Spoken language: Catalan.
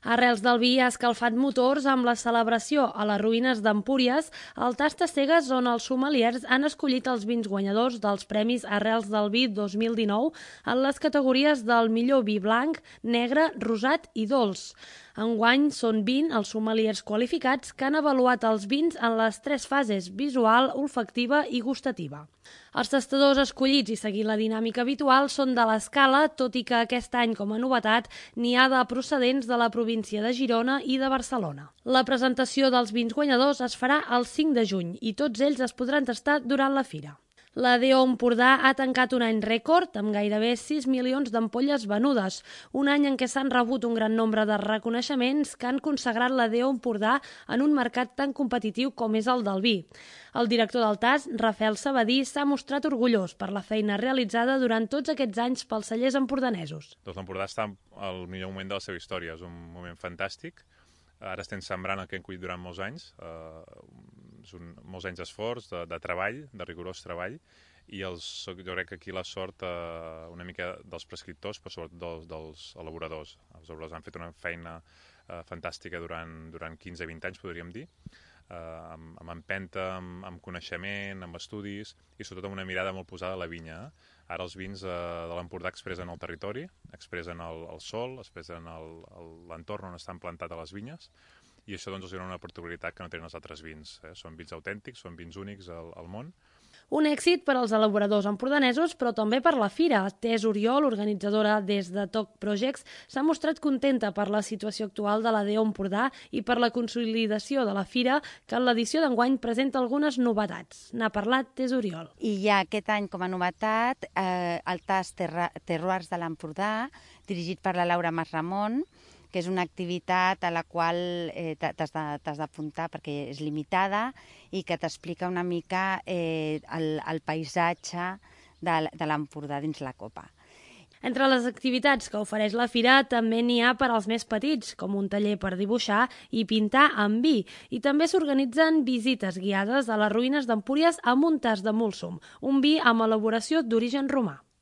Arrels del vi ha escalfat motors amb la celebració a les ruïnes d'Empúries, al Tastacegues, on els sommeliers han escollit els vins guanyadors dels Premis Arrels del Vi 2019 en les categories del millor vi blanc, negre, rosat i dolç. Enguany són 20 els sommeliers qualificats que han avaluat els vins en les 3 fases: visual, olfactiva i gustativa. Els tastadors escollits i seguint la dinàmica habitual són de l'Escala, tot i que aquest any, com a novetat, n'hi ha de procedents de la província de Girona i de Barcelona. La presentació dels vins guanyadors es farà el 5 de juny i tots ells es podran tastar durant la fira. La DO Empordà ha tancat un any rècord amb gairebé 6 milions d'ampolles venudes, un any en què s'han rebut un gran nombre de reconeixements que han consagrat la DO Empordà en un mercat tan competitiu com és el del vi. El director del TAS, Rafael Sabadí, s'ha mostrat orgullós per la feina realitzada durant tots aquests anys pels cellers empordanesos. Doncs l'Empordà està al millor moment de la seva història, és un moment fantàstic. Ara estem sembrant el que hem collit durant molts anys, són molts anys d'esforç, de treball, de rigorós treball, i jo crec que aquí la sort una mica dels prescriptors, però sobretot dels elaboradors. Els elaboradors han fet una feina fantàstica durant 15-20 anys, podríem dir, amb empenta, amb coneixement, amb estudis i sobretot amb una mirada molt posada a la vinya. Ara els vins de l'Empordà expressen el territori, expressen el sol, expressen l'entorn on estan plantats les vinyes, i això doncs els dona una particularitat que no tenen els altres vins. Són vins autèntics, són vins únics al món. Un èxit per als elaboradors empordanesos, però també per la fira. Tess Oriol, organitzadora des de TOC Projects, s'ha mostrat contenta per la situació actual de la DO Empordà i per la consolidació de la fira, que en l'edició d'enguany presenta algunes novetats. N'ha parlat Tess Oriol. I hi ha aquest any com a novetat el TAS Terroirs de l'Empordà, dirigit per la Laura Masramon, que és una activitat a la qual t'has d'apuntar perquè és limitada i que t'explica una mica el paisatge de l'Empordà dins la copa. Entre les activitats que ofereix la fira també n'hi ha per als més petits, com un taller per dibuixar i pintar amb vi, i també s'organitzen visites guiades a les ruïnes d'Empúries amb un tas de Múlsum, un vi amb elaboració d'origen romà.